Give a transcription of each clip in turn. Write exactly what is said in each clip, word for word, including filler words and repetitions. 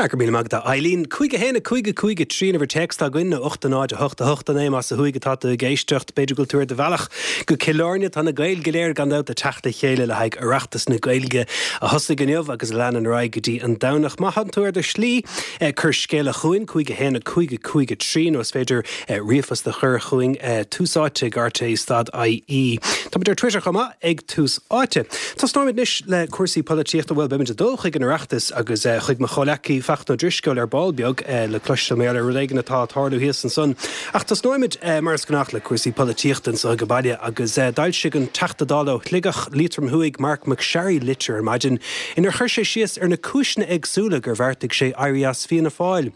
Sea, go raibh míle maith agat, Eileen. Cúig a haon a cúig a cúig a trí an uimhir téacs atá againn nó ocht a náid a hocht a hocht a naoi más ó thuaidh atá tú ag éisteacht. B'fhéidir go bhfuil tú ar do bhealach go Cill Airne. Tá na Gaeil go léir gan dabht ag teacht le chéile le haghaidh Oireachtas na Gaeilge a thosaigh inniu agus a leanann ar aghaidh go dtí an Domhnach. Má tánn tú ar do shlí, cuir scéala chugainn, cúig a haon a cúig a cúig a trí nó is féidir ríomhphost a chur chugainn, tús áite ag rte stad I E. Táimid ar Twitter chomh maith ag Tús Áite. Tosnóimid anois le cúrsaí polaitíochta. Bhuel, beimid ag dul chuig an Oireachtas agus chuig mo chomhleacaí Fachtna Ó Drisceoil ar ball beag le cloisteáil mar gheall ar rud éigin atá ag tarlú thíos ansan. Ach tosnóimid mar is gnách le cúrsaí polaitíochta anseo ag baile agus d'fhoilsigh an Teachta Dála ó Shligeach, Liatroim Thuaidh, Marc MacSharry litir ar maidin inar chuir sé síos ar na cúiseanna éagsúla gur bheartaigh sé éirí as Fianna Fáil.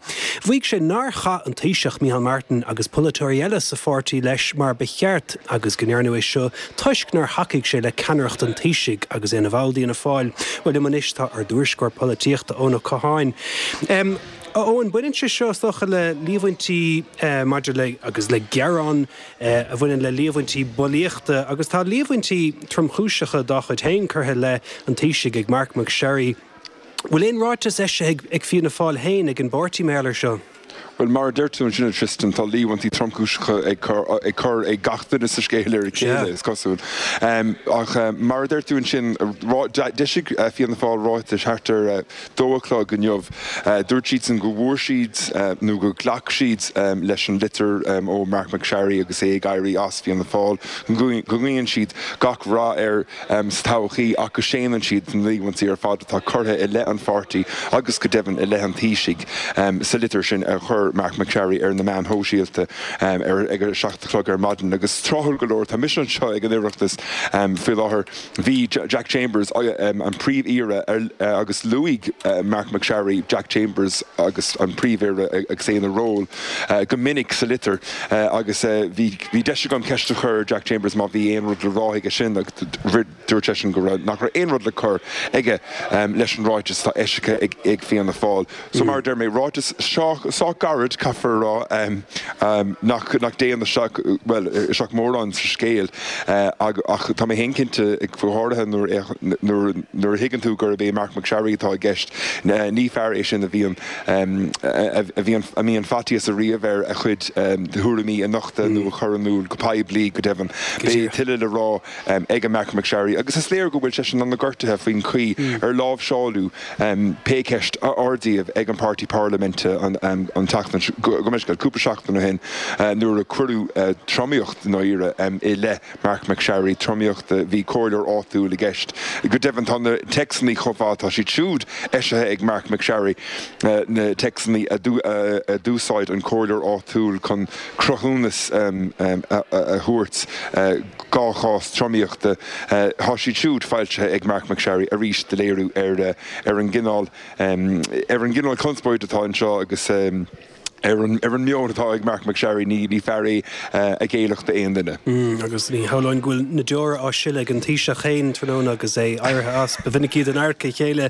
Mhaígh sé nár chaith an Taoiseach Micheál Martin agus polaiteoirí eile sa pháirtí leis mar ba cheart agus go ndearnadh é seo toisc nár thacaigh sé le ceannaireacht an Taoisigh agus é ina bhall d'Fhianna Fáil. Bhuel, liom anois tá ár dtuairisceoir polaitíochta Eoin Ó Catháin. Um, Eoin, baineann sé seo is dócha le líomhaintí uh, maidir le agus le gearán uh, a bhaineann le líomhaintí bulaíochta agus tá líomhaintí tromchúiseacha dá chuid féin curtha i leith an Taoisigh ag Marc MacSharry. Bhfuil aon ráiteas eisithe ag, ag Fianna Fáil féin ag an bpáirtí mar gheall air seo? Well mar a deir tú ansin Tristan tá líomhaintí tromchúiseacha ag cur ag cur ag gach duine sa scéal ar a chéile is cosúil. Um, ach um, mar a deir tú ansin d'eisigh uh, Fianna Fáil ráiteas thart ar uh, dó a chlog inniu. Uh, dúirt siad san go bhfuair siad uh, nó go ghlac siad um, leis an litir um, ó Marc MacSharry agus é ag éirí as Fianna Fáil go nguíonn siad gach rath air um, sa todhchaí ach go séanann siad na líomhaintí ar fad atá curtha i leith an pháirtí agus go deimhin i leith an Taoisigh um, sa litir sin a chuir Marc MacSharry ar na meáin shóisialta um, ar ag a seacht a chlog ar maidin agus tráthúil go leor tá mise anseo ag an Oireachtas um, faoi láthair bhí Jack Chambers um, an príomh-aoire uh, agus luaigh uh, Marc MacSharry Jack Chambers agus an príomh-aoire agus é ina ról uh, go minic sa litir uh, agus uh, bhí bhí deis agam ceist a chur Jack Chambers má bhí aon rud le rá aige sin dúirt seisean go raibh nach raibh aon rud le cur aige um, leis an ráiteas atá eisithe ag, ag Fianna Fáil. So mm. mar deir mé ráiteas sách gairid caithfear rá um, um, nach nach dtéann isteach well isteach mórán sa scéal uh, ach tá mé cinnte ag go háirithe nuair a thuigeann tú gurb é Marc MacSharry atá i gceist ní fear é sin a bhíonn um, a bhíonn a mbíonn faitíos ariamh air a chuid um, tuairimí a nochtadh nó a chur in iúl go poiblí go deimhin. Beidh tuilleadh le rá um, ag Marc MacSharry agus is léir go bhfuil sé an-ghortaithe faoin chaoi mm. ar láimhseáladh um, pé ceist a ardaíodh ag an páirtí parlaiminte an, um, an tseachtain go meis cúpla seachtain ó shin uh, nuair a cuireadh uh, tromaíocht nóire um, i leith Marc MacSharry tromaíocht uh, bhí comhairleoir áitiúil i gceist. Go deimhin tá na téacsanna chomh maith tá siad siúd eisithe ag Marc MacSharry uh, na téacsanna a uh, d'úsáid an comhairleoir áitiúil chun cruthúnas um, um, a, a, a thabhairt uh, dhá chás tromaíochta uh, tá siad siúd foilsithe ag Marc MacSharry arís de léiriú ar uh, ar an gcineál um, ar an gcineál conspóid atá anseo agus um, ar an ar an meon atá ag Marc MacSharry ní ní fear é uh, a ghéillfeadh d'aon duine. Mm, agus ní hamháin go bhfuil na deora á sileadh ag an Taoiseach féin tráthnóna agus é éirithe as ba mhinic iad in adharca a chéile.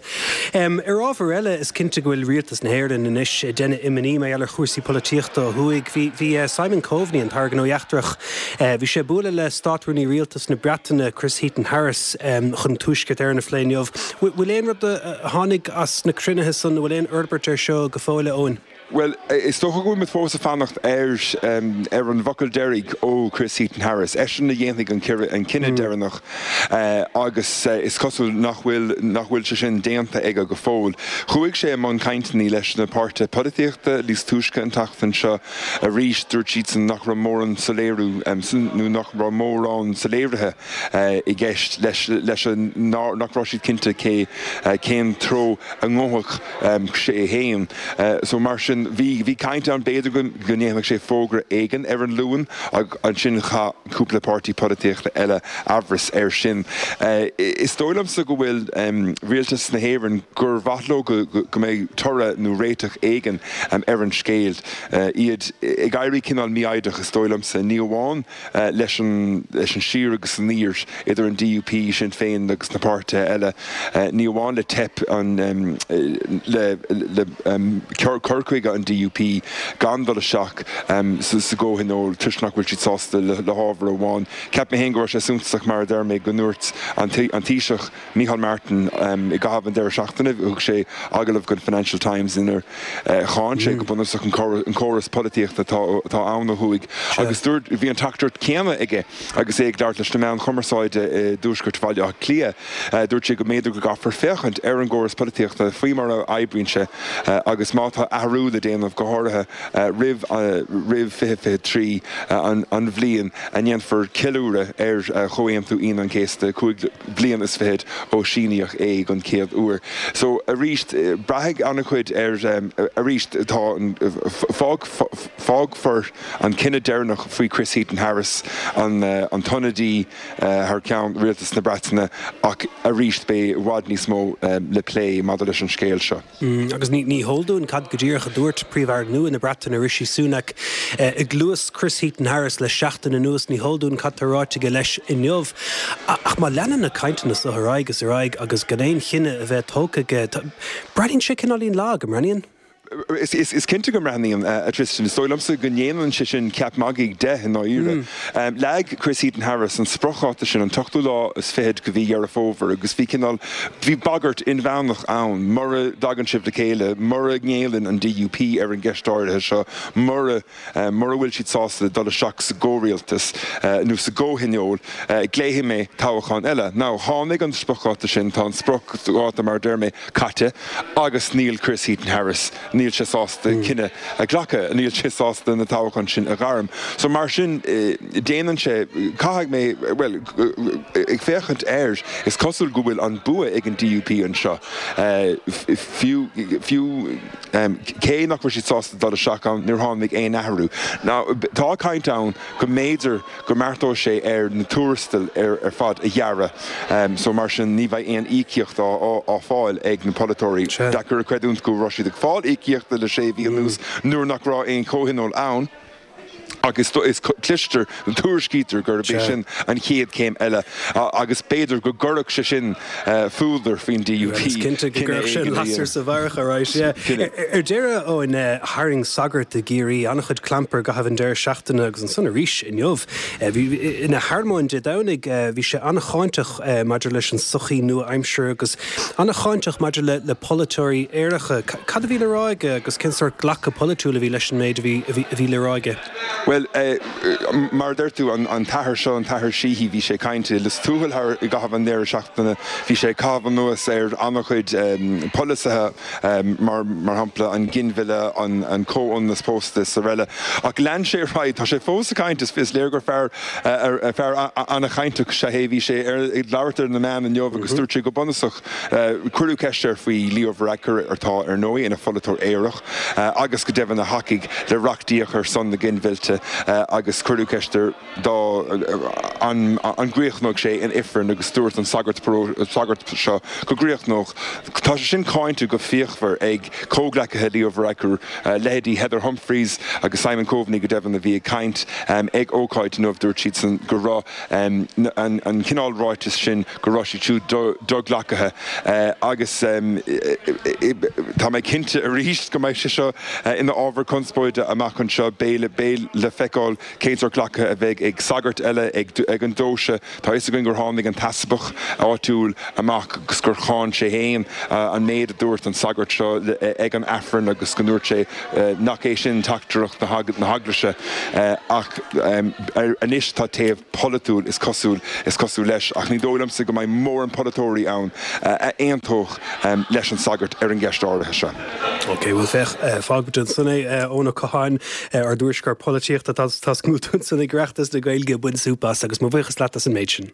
Um, ar ábhar eile is cinnte go bhfuil rialtas na hÉireann anois ag déanamh imní mar gheall ar chúrsaí polaitíochta ó thuaidh. Bhí bhí uh, Simon Coveney an tAire Gnóthaí Eachtracha. Uh, bhí sé ag bualadh le Státrúnaí Rialtas na Breataine Chris Heaton Harris um, chun Tuaisceart Éireann a phlé inniu. Bhfuil aon rud a tháinig as na cruinnithe san bhfuil aon fhorbairt ar seo go fóill Eoin? Well, is dócha go bhfuil fós ag fanacht ar um, ar an bhfocal deiridh ó Chris Heaton Harris. Eisean a dhéanfaidh an an cinneadh mm. deireanach uh, agus uh, is cosúil nach bhfuil nach bhfuil sé sin déanta aige go fóill. Chuaigh sé i mbun cainteanna leis na páirtithe polaitíochta níos túisce an tseachtain seo arís dúirt siad san nach raibh mórán soiléiriú um, nó nach raibh mórán soiléirithe uh, i gceist leis leis nach raibh siad cinnte cé uh, cén treo a ngabhfadh um, sé féin. Uh, so mar sin bhí bhí caint ann b'fhéidir go ndéanfadh sé fógra éigin ar an Luan ach ansin chaith cúpla páirtí polaitíochta eile amhras air sin. Uh, is dóigh liomsa go bhfuil um, rialtas na hÉireann gur mhaith leo go, go, go mbeidh toradh nó réiteach éigin um, ar an scéal. Uh, iad ag éirí cineál mífhoighdeach is dóigh liomsa ní amháin uh, leis an leis an siar agus aniar idir an D U P Sinn Féin agus na páirtithe eile uh, ní amháin le teip an um, le, le um, cur chuige chuige an D U P gan dul isteach sa gcomhthionól toisc nach bhfuil siad sásta le hábhar amháin. Cheap mé féin go raibh sé suntasach, mar a deir mé, go ndúirt an Taoiseach Micheál Martin i gcaitheamh an deireadh seachtaine, thug sé agallamh don Financial Times inar cháin sé go bunúsach an córas polaitíochta atá ann ó thuaidh agus dúirt, bhí an teachtaireacht céanna aige agus é ag labhairt leis na meáin chumarsáide i dtuaisceart Bhaile Átha Cliath. Dúirt sé go mb'fhéidir go gcaithfear féachaint ar an gcóras polaitíochta faoi mar a oibríonn sé agus má tá athrú le déanamh, go háirithe roimh roimh fiche fiche trí, an bhliain a ndéanfar ceiliúradh ar Chomhaontú Aoine an Chéasta, cúig bliana is fichead ó síníodh é den chéad uair. So arís, braithfidh an-chuid ar arís tá fág fágfar an cinneadh deireanach faoi Chris Heaton-Harris, an an t-ionadaí thar ceann Rialtas na Breataine, ach arís beidh i bhfad níos mó le plé maidir leis an scéal seo. Agus ní ní heol dúinn cad go díreach a dúirt Príomh-Aire nua na Breataine, Rishi Sunak, i gcluas Chris Heaton-Harris le seachtain anuas. Ní heol dúinn cad tá ráite aige leis inniu. Ach má leanann na cainteanna seo ar aghaidh is ar aghaidh agus gan aon chinneadh a bheith tógtha aige, breathnaíonn sé cineáilín lag, an mbreathnaíonn? Is, is, is cinnte go mbreathnaíonn, a Tristan. Is dóigh liomsa go ndéanann sé sin ceap magaidh de i ndáiríre. Mm. Leag Chris Heaton-Harris an spriocdháta sin, an t-ochtú lá is fichead de mhí Dheireadh Fómhair, agus bhí cineál bhí bagairt inmheánach ann: mura dtagann sibh le chéile, mura ngéilleann an D U P ar an gceist áirithe seo, mura mura bhfuil siad sásta dul isteach sa gcomhrialtas nó sa gcomhthionól, glaofaidh mé toghchán eile. Now, tháinig an spriocdháta sin, tá an spriocdháta, mar deir mé, caite, agus níl Chris Heaton-Harris, níl sé sásta cinneadh a ghlacadh, níl sé sásta na toghchán sin a ghairm. So mar sin déanann sé, caithfidh mé, well, ag féachaint air, is cosúil go bhfuil an bua ag an D U P anseo, fiú fiú cé nach bhfuil siad sásta dul isteach ann, níor tháinig aon athrú. Now, tá caint ann go mb'fhéidir go mbeartóidh sé ar na tuarastail ar ar fad a ghearradh, so mar sin ní bheidh aon íocaíocht á á fáil ag na polaiteoirí. Deacair a chreidiúint go raibh siad ag fáil íocaíochta le sé mhí anuas nuair nach raibh aon chomhthionól ann, agus is cloistear, tuairiscítear gurb é sin an chéad céim eile agus b'fhéidir go gcuirfeadh sé sin fuadar faoin D U P. Is cinnte go gcuirfeadh sin lasair sa bharrach, right, yeah. Ar deireadh, Eoin, tharraing sagart i gCiarraí an-chuid clampair i gcaitheamh an deireadh seachtaine agus ansan arís inniu. Bhí ina shearmóin Dé Domhnaigh, bhí sé an-cháinteach maidir leis an sochaí nua-aimseartha agus an-cháinteach maidir le le polaiteoirí aeracha. Cad a bhí le rá aige agus cén sórt glacadh polaitiúil a bhí leis an méid a bhí a bhí le rá aige? Well, mar a deir tú, an t-athair seo, an t-athair Sheehy, bhí sé ag caint i Lios Tuathail thar i gcaitheamh an deireadh seachtaine. Bhí sé ag caitheamh anuas ar an-chuid polasaithe, mar mar shampla an ginmhilleadh, an an comhionannas pósta is araile. Ach lean sé ar aghaidh, tá sé fós ag caint, is is léir gur fear fear an-chainteach is ea é. Bhí sé ar ag labhairt ar na meáin inniu agus dúirt sé go bunúsach, cuireadh ceist air faoi Leo Varadkar, atá ar ndóigh ina pholaiteoir aerach agus go deimhin a thacaigh le reachtaíocht ar son na ginmhillte, agus cuireadh ceist air dá an an gcríochnódh sé in ifreann agus dúirt an sagart sagart seo go gcríochnódh. Tá sé sin cáinte go fíochmhar ag comhghleacaithe Leo Varadkar, leithéidí Heather Humphreys agus Simon Coveney go deimhin, a bhí ag caint ag ócáid inniu. Dúirt siadsan go raibh an an cineál ráiteas sin, go raibh siad siúd do-ghlactha, agus tá mé cinnte arís go mbeidh sé seo ina ábhar conspóide amach anseo. Beidh beidh le feiceáil cén sórt glactha a bheidh ag sagairt eile ag ag an deoise. Tá fhios againn gur tháinig an t-easpag áitiúil amach agus gur cháin sé féin an méid a dúirt an sagart seo ag an Aifreann agus go ndúirt sé nach é sin teachtaireacht na heaglaise, ach anois tá taobh polaitiúil, is cosúil is cosúil leis, ach ní dóigh liomsa go mbeidh mórán polaiteoirí ann a aontódh leis an sagart ar an gceist áirithe seo. Ok, bhuel féach, fágfaimid ansan é. Eoin Ó Catháin, ár dtuairisceoir polaitíochta, tá tú ansan ag Oireachtas na Gaeilge, bain súp as agus mo bhuíochas leat as an méid sin.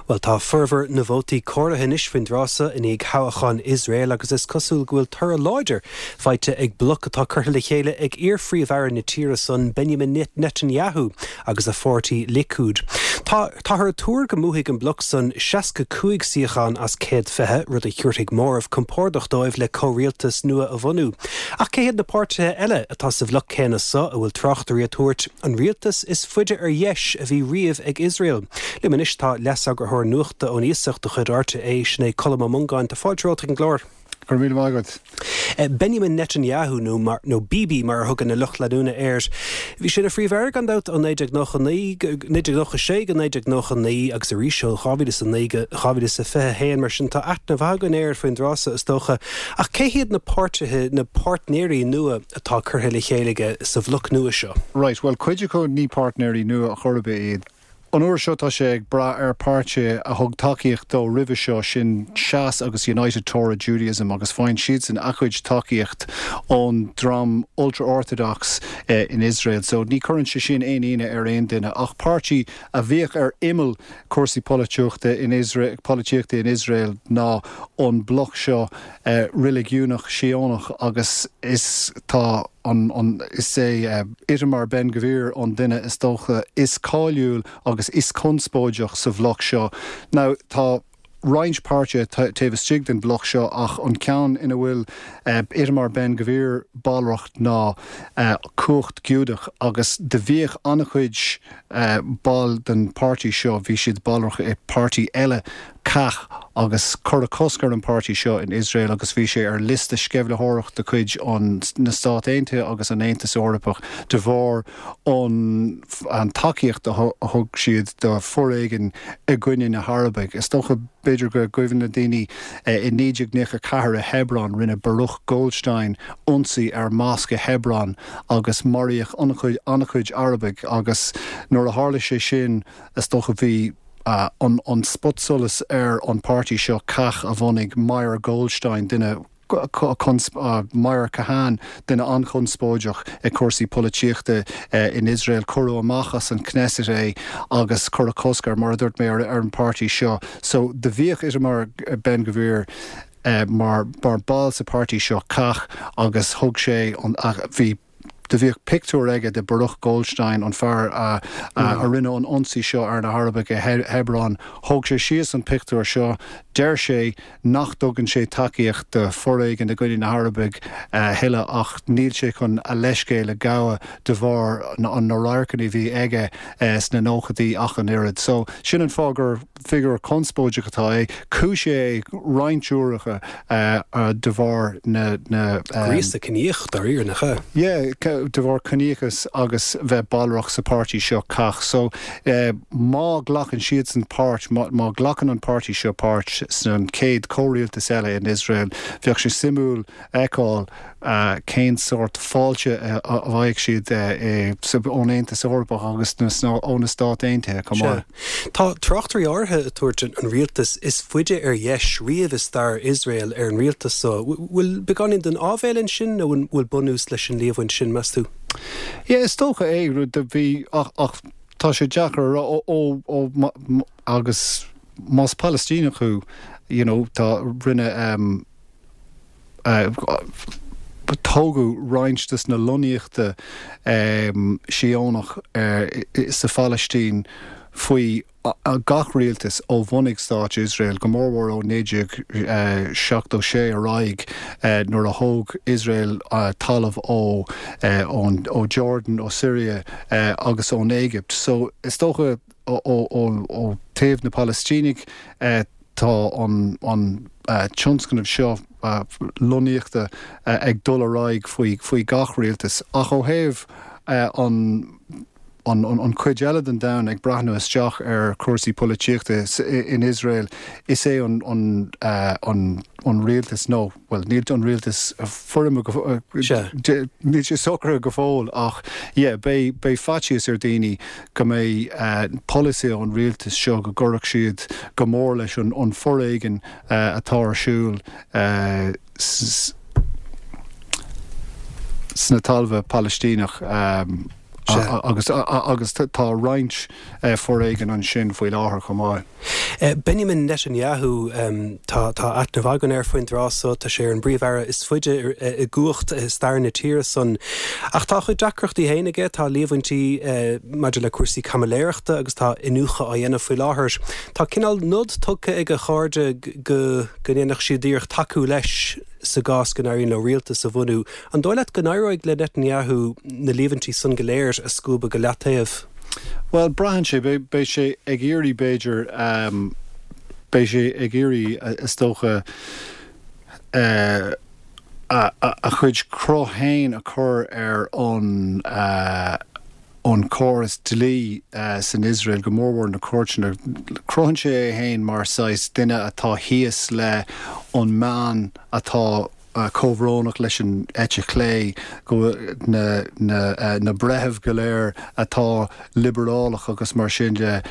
Bhuel, tá formhór na vótaí comhairthe anois faoin dtráth seo i ndiaidh thoghchán Iosrael agus is cosúil go bhfuil toradh láidir faighte ag bloc atá curtha le chéile ag iar-phríomh-aire na tíre san, Benjamin Netanyahu, agus a pháirtí Likud. Tá táthar ag tuar go mbuafaidh an bloc san seasca cúig suíochán as céad fiche, rud a thabharfaidh móramh compordach dóibh le comhrialtas nua a bhunú. Ach cé hiad na páirtithe eile atá sa bhloc céanna seo a bhfuil tráchtairí ag tabhairt an rialtas is faide ar dheis a bhí riamh ag Iosrael? Liom anois tá leaseagarthóir nuachta ón iasacht de chuid R T É, sin é Colm Ó Mongáin. Tá fáilte romhat chuig an gclár. Go raibh míle maith agat. Benjamin Netanyahu nó mar, nó Bibi mar a thugann a lucht leanúna air. Bhí sé ina phríomh-aire gan dabht ó naoi déag nócha naoi naoi déag nócha sé go naoi déag nócha naoi agus arís ó dhá mhíle is a naoi go dhá mhíle is a fiche a haon mar sin tá aithne mhaith againn air faoin dtráth so is dócha. Ach cé hiad na páirtithe, na páirtnéirí nua atá curtha le chéile aige sa bhloc nua seo? Right, bhuel cuid acu ní páirtnéirí nua chor ar bith iad. An uair seo tá sé ag brath ar páirtí a thug tacaíocht dó roimhe seo, sin Shas agus United Torah Judaism agus faigheann siadsan a gcuid tacaíocht ón dream ultra-orthodox in Iosrael. So ní chuireann sé sin aon ionadh ar aon duine. Ach páirtí a bhíodh ar imeall cúrsaí polaitíochta in Iosrael, polaitíochta in Iosrael ná an bloc seo reiligiúnach Síónach agus is tá an, an, is é Itamar Ben Gvir an duine is dócha is cáiliúil agus is conspóideach sa bhloc seo. Now tá roinnt páirtithe taobh istigh den bhloc seo ach an ceann ina bhfuil Itamar Ben Gvir ballrach ná Cumhacht Giúdach agus do bhíodh an-chuid ball den páirtí seo, bhí siad ballrach i páirtí eile Kach agus cuireadh cosc ar an páirtí seo in Iosrael agus bhí sé ar liosta sceimhlitheoireachta de chuid an na Stát Aontaithe agus an Aontas Eorpach de bharr an an tacaíocht a thug siad do foréigean i gcoinne na hArabaigh. Is dócha b'fhéidir go gcuimhin le daoine i naoi déag nócha ceathair i Hebron rinne Baruch Goldstein ionsaí ar mosc i Hebron agus maraíodh an-chuid an-chuid Arabaigh agus nuair a tharla sé sin is dócha bhí an an spotsolas ar an páirtí seo Kach a bhunaigh Meir Goldstein duine Meir Kahane duine an-chonspóideach i cúrsaí polaitíochta in Iosrael cuireadh amach as an Knesset é agus cuireadh cosc air mar a dúirt mé ar an páirtí seo so do bhíodh Itamar Ben Gvir mar mar ball sa páirtí seo Kach agus thug sé an bhí Do bhíodh pictiúr aige de Baruch Goldstein, an fear a a rinne an ionsaí seo ar na hArabaigh i Hebron. Thóg sé síos an pictiúr seo. Deir sé nach dtugann sé tacaíocht do foréigean i gcoinne na hArabaigh a thuilleadh ach níl sé chun a leithscéal a ghabháil de bharr na radharcanna a bhí aige sna nóchaidí ach an oiread. So sin an fáth gur figiúr conspóideach atá é. Cúisíodh é roinnt uaireacha de bharr na. Gríosadh ciníoch dáiríre, nach ea? Yeah, de bharr ciníochas agus bheith ballrach sa páirtí seo Kach. So má ghlacann siadsan páirt, má ghlacann an páirtí seo páirt san chéad chomhrialtas eile in Iosrael, bheadh sé suimiúil fheiceáil cén sórt fáilte a bhfaighidh siad ón Aontas Eorpach agus ó na Stáit Aontaithe chomh maith. Tá tráchtairí áirithe ag tabhairt an rialtas is faide ar dheis riamh i stair Iosrael ar an rialtas so. Bhfuil beagáinín den áibhéil ansin nó an bhfuil bunús leis an líomhain sin, meas tú? Yeah, is dócha é, rud a bhí ach ach tá sé deacair a rá ó ó ó agus más Palaistíneach thú, you know, tá rinne um, uh, tógadh roinnt des na lonnaíochta um, Síónach uh, sa Phalaistín faoi gach rialtas ó bhunaigh Stát Iosrael, go mórmhór ó naoi déag seachtó sé ar aghaidh nuair a thóg Iosrael talamh ó ó Jordan, ó Syria agus ón Éigipt. So is dócha ó taobh na Palaistínigh tá an an tionscnamh seo lonnaíochta ag dul ar aghaidh faoi faoi gach rialtas. Ach ó thaobh an an an chuid eile den domhan ag breathnú isteach ar chúrsaí polaitíochta in Iosrael, is é an an an an rialtas nó, bhuel, níl an rialtas foirme go, níl sé socraithe go fóill ach yeah, beidh beidh faitíos ar daoine go mbeidh polasaí an rialtais seo go gcuirfeadh siad go mór leis an an foréigean atá ar siúl sna talmha Palaistíneach. Agus agus tá roinnt foréigin ansin faoi láthair chomh maith. Benjamin Netanyahu, tá tá aithne mhaith againn air faoin dtráth so, tá sé ar an bPríomh-Aire is faide i gcumhacht i stair na tíre san. Ach tá a chuid deacrachtaí féin aige, tá líomhaintí maidir le cúrsaí caimiléireachta agus tá iniúchadh á dhéanamh faoi láthair. Tá cineál nod tugtha ag a chairde go go ndéanfadh siad iarracht tacú leis sa gcás go n-éiríonn leo rialtas a bhunú. An dóigh leat go n-éireoidh le Netanyahu na líomhaintí san go léir a scuabadh go leataobh? Bhuel, braitheann sé. Beidh sé ag iarraidh, b'fhéidir, beidh sé ag iarraidh, is dócha, a chuid cruth féin a chur ar an an córas dlí san Iosrael, go mórmhór na cúirteanna. Cruthaíonn sé é féin mar saghas duine atá thíos le an meán atá comhbhrónach leis an eite chlé, go na na na breithimh go léir atá liobrálach agus mar sin de.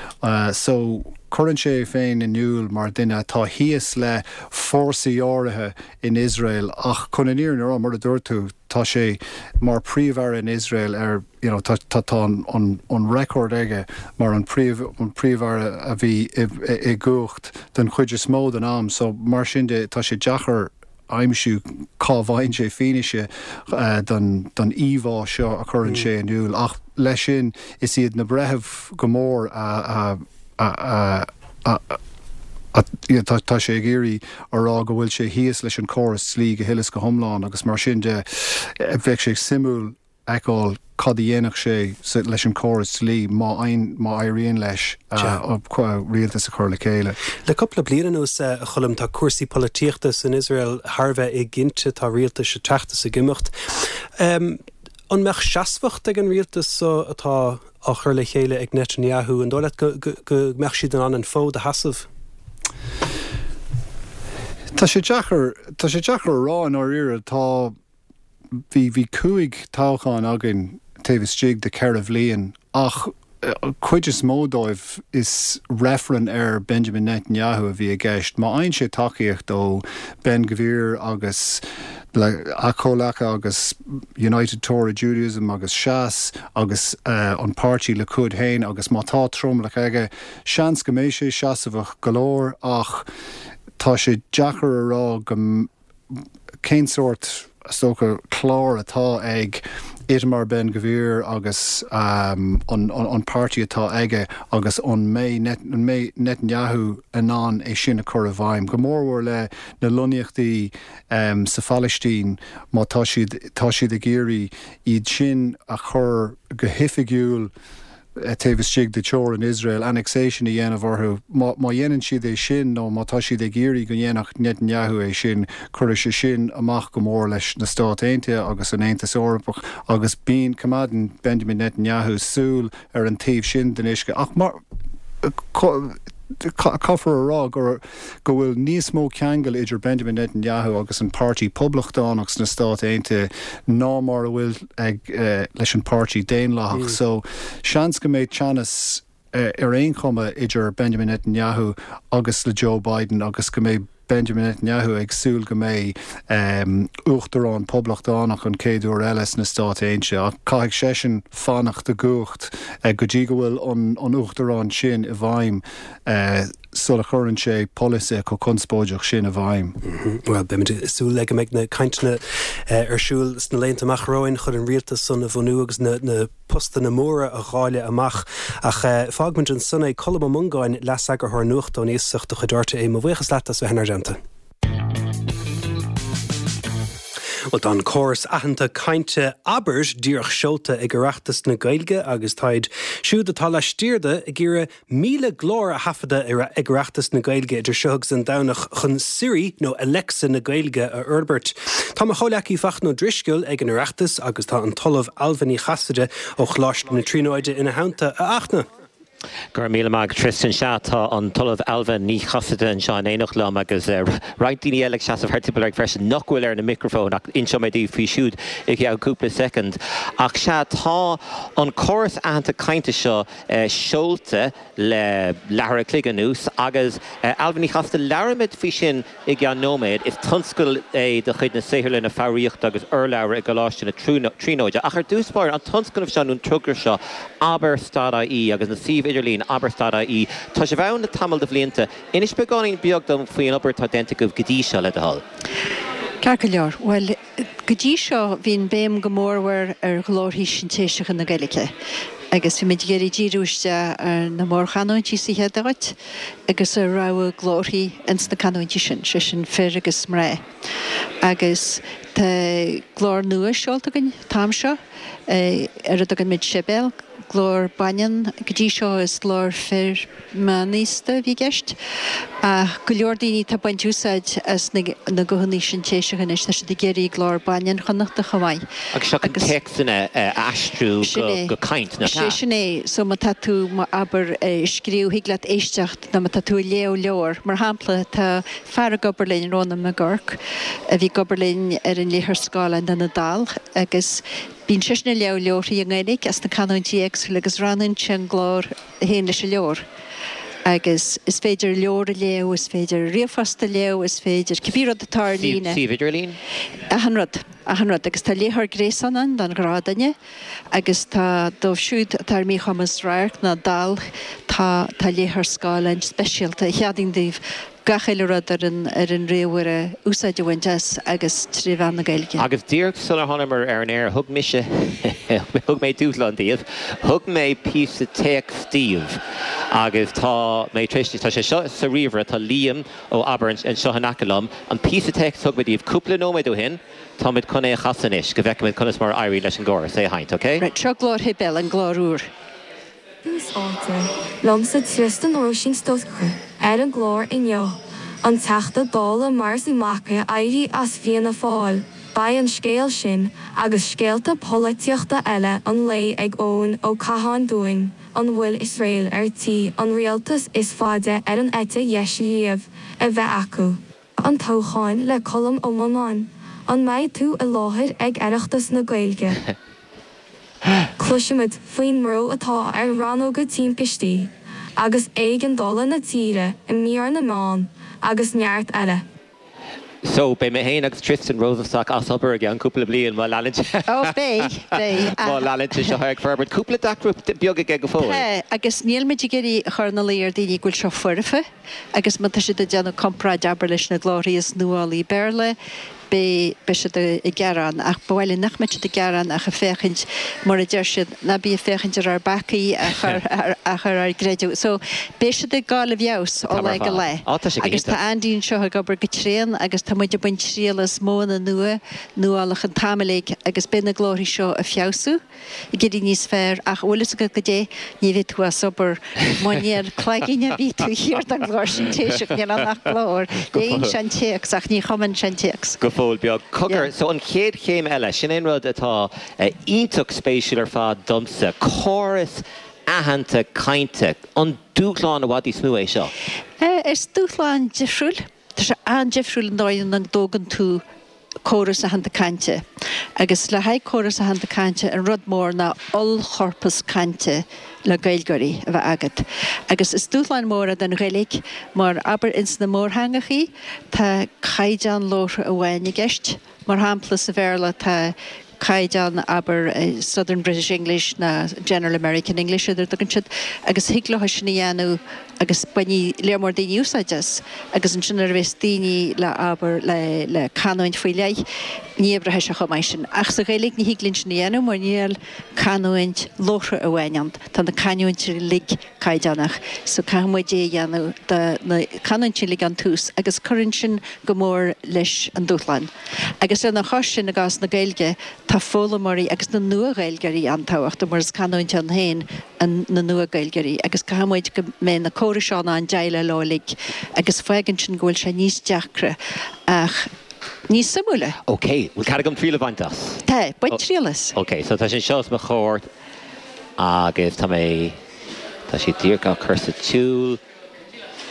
So cuireann sé é féin in iúl mar duine atá thíos le fórsaí áirithe in Iosrael ach chun an fhírinne a rá, mar a dúirt tú, tá sé mar príomh-aire in Iosrael ar you know tá tá tá an an an record aige mar an príomh an príomh-aire a bhí i i gcumhacht den chuid is mó den am so mar sin de tá sé deacair aimsiú cá bhfaigheann sé fianaise don don íomhá seo a chuireann sé in iúl ach leis sin is iad na breithimh go mór a a a a a tá sé ag iarraidh a rá go bhfuil sé thíos leis an córas dlí go huile is go hiomlán agus mar sin de bheadh sé suimiúil fheiceáil cad a dhéanfadh sé leis an córas dlí má má éiríonn leis rialtas a chur le chéile. Le cúpla bliain anuas, a Choilm, tá cúrsaí polaitíochta san Iosrael thar a bheith éiginnte, tá rialtais ag teacht is ag imeacht. An mbeadh seasmhacht ag an rialtas so atá á chur le chéile ag Netanyahu? An dóigh leat go go mbeadh siad in ann an fód a sheasamh? Tá sé deacair, tá sé deacair a rá i ndáiríre. Tá. Bhí bhí cúig toghchán againn taobh istigh de ceithre bhliain ach cuid is mó dóibh is reifreann ar Benjamin Netanyahu a bhí i gceist. Má fhaigheann sé tacaíocht ó Ben Gvir agus a chomhleacaithe agus United Torah Judaism agus Shas agus an páirtí Likud féin agus má tá tromlach aige, seans go mbeidh sé seasmhach go leor ach tá sé deacair a rá go cén sórt, is dócha, clár atá ag Itamar Ben Gvir agus an páirtí atá aige agus an mbeidh Netanyahu in ann é sin a chur i bhfeidhm, go mórmhór le na lonnaíochtaí sa Phalaistín, má tá siad tá siad ag iarraidh iad sin a chur go hoifigiúil. taobh istigh de teorainn Iosrael, annexation a dhéanamh orthu. Má dhéanann siad é sin, nó má tá siad ag iarraidh go ndéanfadh Netanyahu é sin, cuirfidh sé sin amach go mór leis na Stáit Aontaithe agus an Aontas Eorpach agus bíonn, coimeádann Benjamin Netanyahu súil ar an taobh sin den uisce. Ach mar. Caithfear a rá go go bhfuil níos mó ceangal idir Benjamin Netanyahu agus an Páirtí Poblachtánach sna Stáit Aontaithe ná mar a bhfuil ag leis an Páirtí Daonlathach. So seans go mbeidh teannas ar aon chuma idir Benjamin Netanyahu agus le Joe Biden agus go mbeidh Benjamin Netanyahu ag súil go mbeidh uachtarán poblachtánach an chéad uair eile sna Stáit Aontaithe, ach caithfidh seisean fanacht i gcumhacht go dtí go bhfuil an uachtarán sin i bhfeidhm sula chuireann sé polasaithe chomh conspóideach sin i bhfeidhm. Bhuel, beimid ag súil le go mbeidh na cainteanna ar siúl sna laethanta amach romhainn chun an rialtas san a bhunú agus na postanna móra a dháileadh amach. Ach fágfaimid ansan é. Colm Ó Mongáin, Leas-Eagarthóir Nuachta ón Iasacht de chuid RTÉ, mo bhuíochas leat as bheith inár dteannta. Bhuel, tá an córas aitheanta cainte Abair díreach seolta ag Oireachtas na Gaeilge agus táid siúd atá laistiar de ag iarraidh míle glór a thaifeadadh ag Oireachtas na Gaeilge idir seo agus an Domhnach chun Siri nó Alexa na Gaeilge a fhorbairt. Tá mo chomhleacaí Fachtna Ó Drisceoil ag an Oireachtas agus tá an tOllamh Ailbhe Ní Chasaide ó Choláiste na Tríonóide ina theannta. A Fhachtna! Go raibh míle maith agat Tristan. Sea, tá an tOllamh Ailbhe Ní Chasaide anseo in éineacht liom agus roinnt daoine eile ag seasamh thart timpeall orainn freisin nach bhfuil ar na micreafóin ach inseoidh mé daoibh faoi siúd i gceann cúpla soicind. Ach sea, tá an córas aitheanta cainte seo seolta le leathuair a chloig anuas agus Ailbhe Ní Chasaide, labhróimid faoi sin i gceann nóiméad. Is tionscadal é de chuid na Saotharlainne Foghraíochta agus Urlabhra i gColáiste na Tríonóide. Ach ar dtús báire, an tionscnamh seo nó an togra seo, Abair stad ie agus an suíomh idirlín Abair stad ie, tá sibh ann le tamall de bhlianta. Inis beagáinín beag dom faoin obair atá déanta agaibh go dtí seo, le do thoil. Ceart go leor. Bhuel, go dtí seo bhí an béim go mórmhór ar ghlórthaí sintéiseacha na Gaeilge agus bhí muid ag iarraidh díriú isteach ar na mórchanúintí sa chéad áit agus ar rogha glórthaí ins na canúintí sin, sé sin fir agus mná. Agus tá glór nua seolta againn an t-am seo ar a dtugann muid Sibéal, glór baineann, go dtí seo is glór fir meánaosta a bhí i gceist, ach go leor daoine atá ag baint úsáid as na na guthanna sintéiseacha anois, tá siad ag iarraidh glór baineann Chonnachta chomh maith. Agus seo chun téacsanna a aistriú Sin é. go caint, nach Sé ea? sin é. So má tá tú, má abair, ag scríobh, thig leat éisteacht nó má tá tú ag léamh leabhar, mar shampla, tá fear ag obair linn, Rónán Mac Guairc, a bhí ag obair linn ar an léitheoir scáileáin do na daill agus bíonn seisean ag léamh leabharthaí i nGaeilge as na canúintí éagsúla agus roghnaíonn sé an glór a théann leis an leabhar. Agus is féidir leabhar a léamh, is féidir ríomhphost a léamh, is féidir cibé rud atá ar líne. Suíomh idirlín? Achan rud, achan rud. Agus tá léitheoir gréasáin ann don ghnáthdhuine agus tá dóibh siúd atá ar míchumas radhairc nó dall, tá tá léitheoir scáileáin speisialta a cheadaíonn daoibh gach uile rud ar an ar an ríomhaire úsáid a bhaint as agus trí mheán na Gaeilge. Agus díreach sular thánamar ar an aer, thug mise, thug mé dúshlán daoibh, thug mé píosa téacs daoibh agus tá mé tar éis, tá sé seo sa ríomhaire, tá Liam ó Abair anseo in aice liom, an píosa téacs a thug mé daoibh cúpla nóiméad ó shin, táimid chun é a chasadh anois go bhfeicfimid conas mar a éiríonn leis an gcóras é a sheinnt, ok? Right, seo glór Shibéal, an glór úr. Tús Áite, Liomsa Tristan Róisín Stokes ar an gclár inniu, an Teachta Dála Martin Mac éirí as Fianna Fáil. Beidh an scéal sin agus scéalta polaitíochta eile an lae ag Eoin Ó Catháin dúinn, an bhfuil Iosrael ar tí an rialtas is faide ar an eite dheis riamh a bheith acu? An toghchán le Colm Ó Murnáin, an mbeidh tú i láthair ag Oireachtas na Gaeilge? Cloisfimid faoin mbrú atá ar rannóga timpistí agus éigeandála na tíre i mír na meán agus neart eile. So, beidh mé féin agus Tristan Rosenstock as obair i gceann cúpla bliain má leanann sé. Ó, beidh, beidh. Má leanann sé seo ag forbairt. Cúpla deacracht beag aige go fóill. Tá, agus níl muid ag iarraidh a chur ina luí ar daoine go bhfuil seo foirfe agus má tá siad ag déanamh comparáid, abair, leis na glórthaí is nuálaí Béarla, beidh, beidh siad ag gearán, ach ba mhaith linn nach mbeadh siad ag gearán ach ag féachaint, mar a deir siad, ná bí ag féachaint ar ár bpeacaí ach ar, ach ar ár gcreideamh. So, beidh siad ag gabháil i bhfeabhas ó Tá lá mar go fad. lá. Á, tá sé go Agus tá hiontach. Andy anseo ag obair go tréan agus tá muid ag baint triail as modhanna nua, nuálacha an t-am uilig agus beidh na glórthaí seo ag feabhsú. ag éirí níos fearr ach bhfuil fhios agat goidé, ní bheidh tú as obair má níl cloigeann ar bith taobh thiar den ghlór sintéiseach, níl ann ach glór, léann sé an téacs ach ní chumann sé an téacs. Go fóill beag. Cogar, so an chéad chéim eile, sin é an rud atá iontach spéisiúil ar fad domsa, córas aitheanta cainte, an dúshlán i bhfad níos mó é seo? Is dúshlán difriúil, tá sé an-difriúil an dóigh ina dtógann tú córas aitheanta cainte. Agus le haghaidh córas aitheanta cainte, an rud mór ná ollchorpas cainte le Gaeilgeoirí a bheith agat. Agus is dúshlán mór é don Ghaeilge mar, abair, ins na mórtheangachaí, tá caighdeán labhartha amháin i gceist. Mar shampla, sa Bhéarla tá caighdeán, abair, Southern British English ná General American English ar a dtugann siad, agus thig leo sin a dhéanamh agus bainfidh léar mór daoine úsáid as. Agus ansin nuair a bheas daoine le, abair, le, le canúint faoi leith, ní oibreoidh sé chomh maith sin. Ach sa Ghaeilge ní thig linn sin a dhéanamh mar níl canúint labhartha amháin ann. Tá na canúintí uilig caighdeánach. So caithfidh muid é a dhéanamh do na canúintí uilig ón tús agus cuireann sin go mór leis an dúshlán. Agus lena chois sin i gcás na Gaeilge tá foghlaimeoirí agus na nua-Ghaeilgeoirí an-tábhachtach mar is canúint ann féin an na nua-Ghaeilgeoirí agus caithfidh muid go mbeidh na córais seo in ann déileáil leo uilig agus fágann sin go bhfuil sé níos deacra ach níos suimiúla. Ok, bhfuil cead agam triail a bhaint as? Tá, bain triail as. Ok, so tá sé seo os mo chomhair agus tá mé, tá sé díreach á chur sa tsiúl.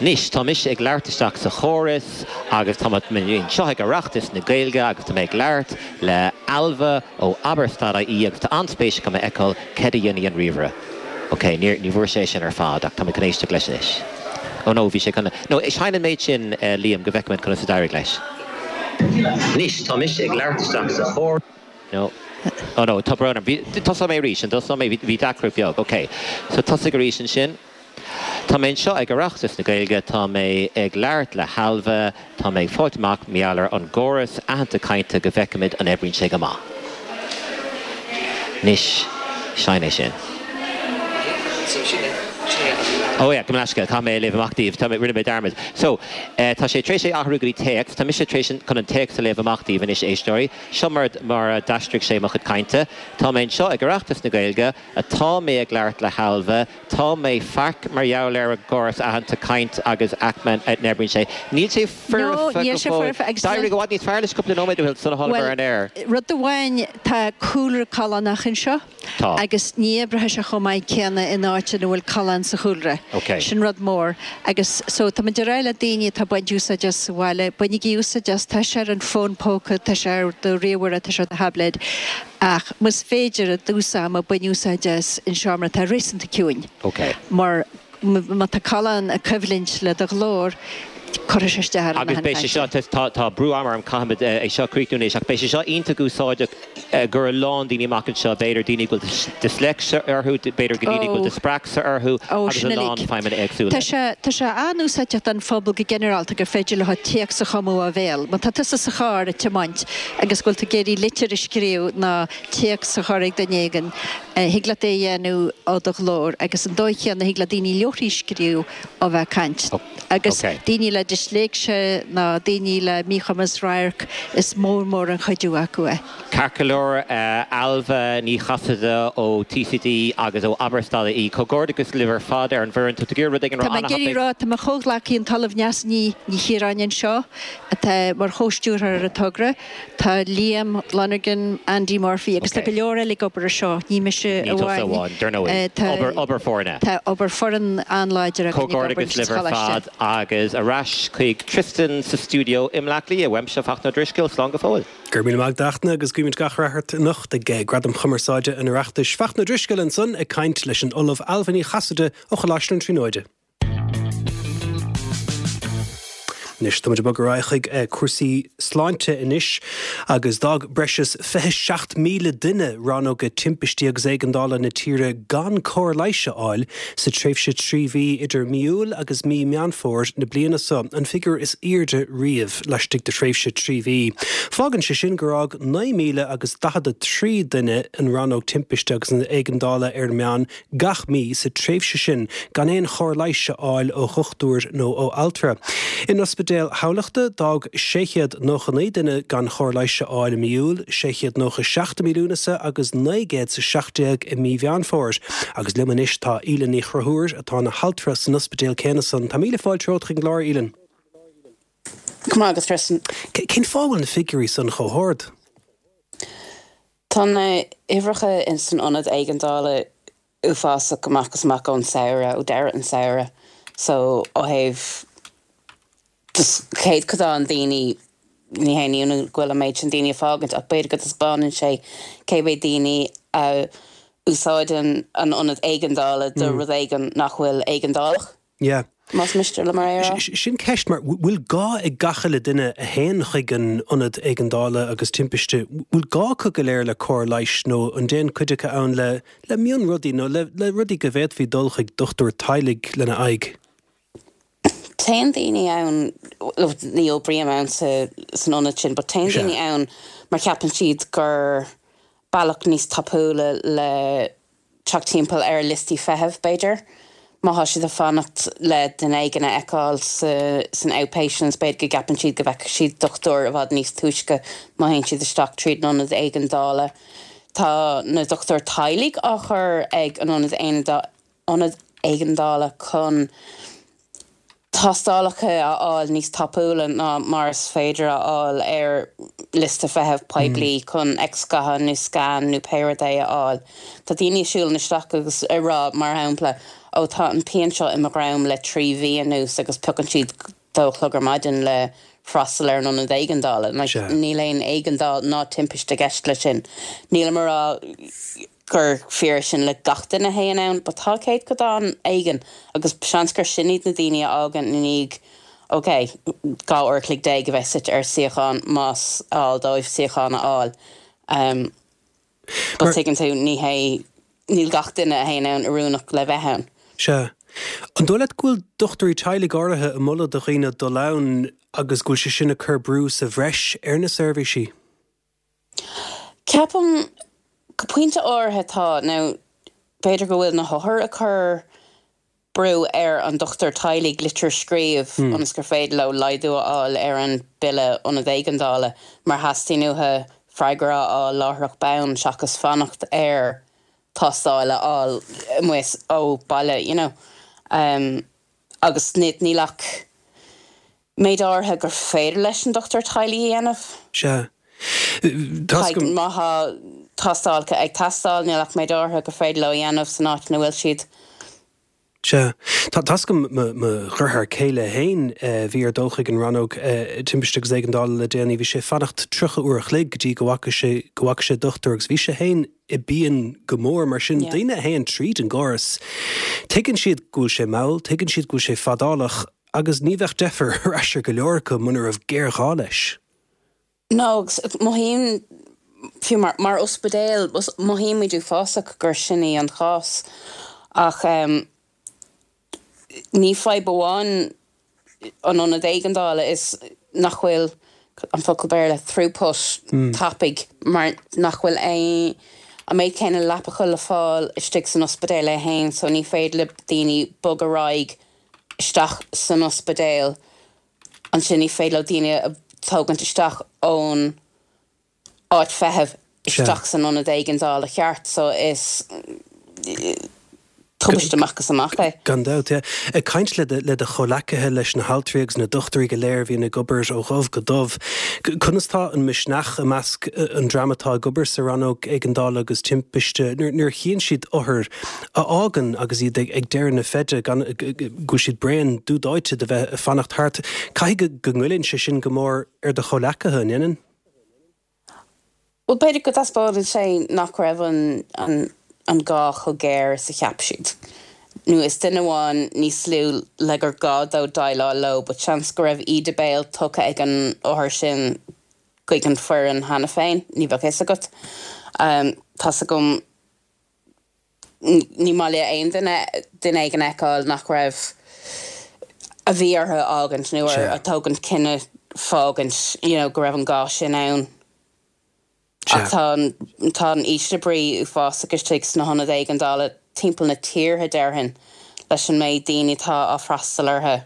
Anois, tá mise ag labhairt isteach sa chóras agus tá mé anseo ag Oireachtas na Gaeilge agus tá mé ag labhairt le Ailbhe ó Abair stad ie agus tá an-spéis agam a fheiceáil céard a dhéanfaidh an ríomhaire. Ok, níor, ní bhfuair sé sin ar fad ach tá mé chun éisteacht leis anois. Oh no, bhí sé chun, no, seinn an méid sin, Liam, go bhfeicfimid conas a d'éirigh leis. Anois, tá mise ag labhairt isteach sa chóras. No. Oh no, tá brón orm. Bhí, tosóidh mé arís, an dtosóidh mé, bhí, bhí deacracht bheag. Ok. So tosaigh arís ansin. Tá mé anseo ag Oireachtas na Gaeilge, tá mé ag labhairt le hAilbhe, tá mé ag fáilt amach mar gheall ar an gcóras aitheanta cainte go bhfeicfimid an oibríonn sé go maith. Anois, seinn é sin. Oh yeah, gabh mo leithscéal, caithfidh mé é a léamh amach daoibh, tá mé, rinne mé dearmad. So, eh, tá sé tar éis é athrú go dtí téacs, tá mise tar éis chun an téacs a léamh amach daoibh anois, éisteoirí. Seo mar, mar a d'aistrigh sé mo chuid cainte. Tá mé anseo ag Oireachtas na Gaeilge, tá mé ag labhairt le hAilbhe, tá mé faic mar gheall ar an gcóras aitheanta caint agus aicme a n-oibríonn sé. Níl sé No, foirfe níl go sé fóill. foirfe agus D'éirigh níl. i bhfad níos fearr leis cúpla nóiméad ó shin sula tháinig Bhuel, ar an aer. rud amháin, tá cúlra callánach anseo. Tá. Agus ní oibreoidh sé chomh maith céanna in áit ina bhfuil callán sa chúlra. Ok. Sin rud mór. Agus so tá muid ag rá le daoine atá ag baint úsáid as sa bhaile, bainigí úsáid as, tá sé ar an fón póca, tá sé ar do ríomhaire, tá sé ar do tháibléad. Ach más féidir i dtús ama bain úsáid as in seomra atá réasúnta ciúin. Ok. Mar má tá callán ag coimhlint le do ghlór, cuirfidh sé isteach ar an Agus beidh sé seo, tá, tá brú ama orm, caithfimid é seo a chríochnú anois, ach beidh sé seo iontach úsáideach do a lán daoine amach anseo, b'fhéidir daoine go bhfuil disléicse orthu, b'fhéidir go daoine go bhfuil dispraicse orthu agus a lán feidhmeanna éagsúla. Tá sé, tá sé an-úsáideach don phobal go ginearálta gur féidir leo téacs a chumadh ó bhéal. Má tá tusa sa charr ag tiomáint agus go bhfuil tú ag iarraidh litir a scríobh nó téacs a chur ag duine éigin, thig leat é a dhéanamh ó do ghlór agus an dóigh chéanna thig le daoine leabharthaí a scríobh ó bheith ag caint. Agus daoine le disléicse ná daoine le míchumas radhairc, is mór mór an chuidiú acu é. Ceart go leor, Ailbhe Ní Chasaide ó TCD agus ó Abair Stad.ie, comhghairdeachas libh ar fad ar an bhfoireann. Tá tú ag iarraidh rud éigin a rá Tá mé ag iarraidh a rá, tá mo chomhghleacaí an tOllamh Neasa Ní Chiaráin anseo, atá mar chomhstiúrthóir ar an togra, tá Liam Lonergan, Andy Murphy agus tá go leor eile ag obair ar seo, ní mise Ní tusa amháin. amháin, dar ndóigh. Tá Obair, obair foirne. Tá obair foireann an-láidir againn ag obair Comhghairdeachas sa libh ar choláiste. fad agus ar ais chuig Tristan sa stiúideo i mBleá Cliath. Uaimse Fachtna Ó Drisceoil, slán go fóill. Go raibh míle maith agat a Fhachtna agus guímid gach rath ort anocht ag Gradaim Chumarsáide an Oireachtais. Fachtna Ó Drisceoil ansan ag caint leis an Ollamh Ailbhe Ní Chasaide ó Choláiste na Tríonóide. Anois táimid ag bogadh ar aghaidh chuig cúrsaí sláinte anois agus d'fhág breis is fiche seacht míle duine rannóga timpistí agus éigeandála na tíre gan cóir leighis a fháil sa tréimhse trí mhí idir mí Iúil agus mí Meán Fómhair na bliana seo, an figiúr is airde riamh laistigh de thréimhse trí mhí. Fágann sé sin gur fhág naoi míle agus daichead a trí duine an rannóg timpiste agus an éigeandála ar an meán gach mí sa tréimhse sin gan aon chóir leighis a fháil ó dhochtúir nó ó altra. In Ospidéal Thamhlachta, d'fhág sé chéad nócha naoi duine gan chóir leighis a fháil i mí Iúil, sé chéad nócha seacht i mí Lúnasa agus naoi gcéad is a seacht déag i mí Mheán Fómhair. Agus liom anois tá Aoileann Ní Chonchúir atá ina haltra san ospidéal céanna san. Tá míle fáilte romhat chuig an gclár, Aoileann. Go maith agat, Tristan. Cén fáth a bhfuil na figiúirí san chomh hard? Tá na huimhreacha in san ionad éigeandála uafásach amach is amach ón samhradh, ó deireadh an samhradh. So ó thaobh just céatadán daoine, ní haon ionadh go bhfuil an méid sin daoine ag fágaint ach b'fhéidir go dtaispeánann sé cé mhéad daoine a úsáideann an ionad éigeandála do rud éigin nach bhfuil éigeandálach. Yeah. Más miste liom é a rá. Sin ceist mar bhfuil gá ag gach uile duine a théann chuig an ionad éigeandála agus timpiste, bhfuil gá acu go léir le cóir leighis nó an dtéann cuid acu ann le le mionrudaí nó le le rudaí go bhféadfaí dul chuig dochtúir teaghlaigh lena aghaidh? Téann daoine ann, ní oibrím ann sa san ionad sin, but téann daoine ann mar cheapann siad gur bealach níos tapúla le teacht timpeall ar liostaí feithimh, b'fhéidir. Má thá siad ag fanacht le duine éigin a fheiceáil sa san outpatients, b'fhéidir go gceapann siad go bhfeicfidh siad dochtúir i bhfad níos túisce má théann siad isteach tríd an ionad éigeandála. Tá na dochtúir teaghlaigh á chur ag an ionad ionad éigeandála chun tástálacha a fháil níos tapúla ná mar is féidir a fháil ar liosta feithimh poiblí chun x-ghatha nó scan nó pé rud é a fháil. Tá daoine ag siúl isteach agus ag rá, mar shampla, 'Ó tá an pian seo i mo dhroim le trí mhí anuas' agus piocann siad dó a chlog ar maidin le freastal ar an ionad éigeandála. Níl aon éigeandáil ná timpiste i gceist leis sin. Nílim ag rá gur fíor é sin le gach duine a théann ann, but tá céatadán éigin agus seans gur sin iad na daoine a fhágann i ndiaidh, ok, dhá uair a chloig déag a bheith suite ar suíochán más áil dóibh suíochán a fháil. But tuigeann tú, ní hé, níl gach duine a théann ann oiriúnach le bheith ann. Sea. An dóigh leat go bhfuil dochtúirí teaghlaigh áirithe ag moladh do dhaoine dul ann agus go bhfuil sé sin ag cur brú sa bhreis ar na seirbhísí? Ceapaim go pointe áirithe tá. Now, b'fhéidir go bhfuil na hothair ag cur brú ar an dochtúir teaghlaigh litir a scríobh ionas gur féidir leo laghdú a fháil ar an bille ionad éigeandála mar theastaíonn uathu freagra a fháil láithreach bonn seachas fanacht ar tástáil a fháil amuigh ó baile you know. Um, agus níl ach méid áirithe gur féidir leis an dochtúir teaghlaigh a dhéanamh. Sea. Má tá tástálacha ag teastáil níl ach méid áirithe gur féidir leo a dhéanamh san áit ina bhfuil siad. Sea. Tá tá's agam mo dheartháir céile féin a bhí ar dul chuig an rannóg timpiste agus éigeandála le déanaí, bhí sé ag fanacht tríocha uair a chloig go dtí go bhfaca sé go bhfaca sé dochtúir agus bhí sé féin i bpian go mór mar sin daoine a théann tríd an gcóras tuigeann siad go bhfuil sé mall, tuigeann siad go bhfuil sé fadálach agus ní bheadh deifir ar ais ar go leor acu muna raibh géarghá leis. No, agus mothaím fiú mar mar ospidéal mothaímid uafásach gur sin í an chás ach um, ní fadhb amháin an ionad éigeandála is nach bhfuil an focal Béarla throughput mm. tapaidh mar nach bhfuil aon an méid céanna leapacha le fáil istigh san ospidéal é féin so ní féidir le daoine bogadh ar aghaidh isteach san ospidéal ansin ní féidir leo daoine a tógaint isteach ón áit feithimh isteach san ionad éigeandála ceart so is tubaiste amach is amach é. Gan dabht, yeah. Ag caint le do le do chomhleacaithe, leis na haltraí agus na dochtúirí go léir a bhíonn ag obair ó dhubh go dubh, conas tá an misneach i measc an dream atá ag obair sa rannóg éigeandála agus timpiste nuair a chíonn siad othair a fhágann agus iad ag deireadh na feide gan go bhfuil siad bréan dubh dóite de bheith ag fanacht thart. Caithfidh go ngoilleann sé sin go mór ar do chomhleacaithe, an ndéanann? Bhuel, b'fhéidir go dtaispeánann sé nach raibh an an an gá chomh géar is a cheap siad. Nó is duine amháin níos lú le gur gá dó déileáil leo, but seans go raibh íde béil tugtha ag an othar sin chuig an foireann cheana féin, ní bheadh fhios agat. Tá's agam, ní maith le aon duine duine éigin a fheiceáil nach raibh, a bhí orthu a fhágaint nó ar a tógaint cinneadh fágaint, you know, go raibh an gá sin ann. Ach tá an, tá an ísle brí uafásach istigh sna hionaid éigeandála timpeall na tíre déarfainn leis an méid daoine atá á freastal orthu,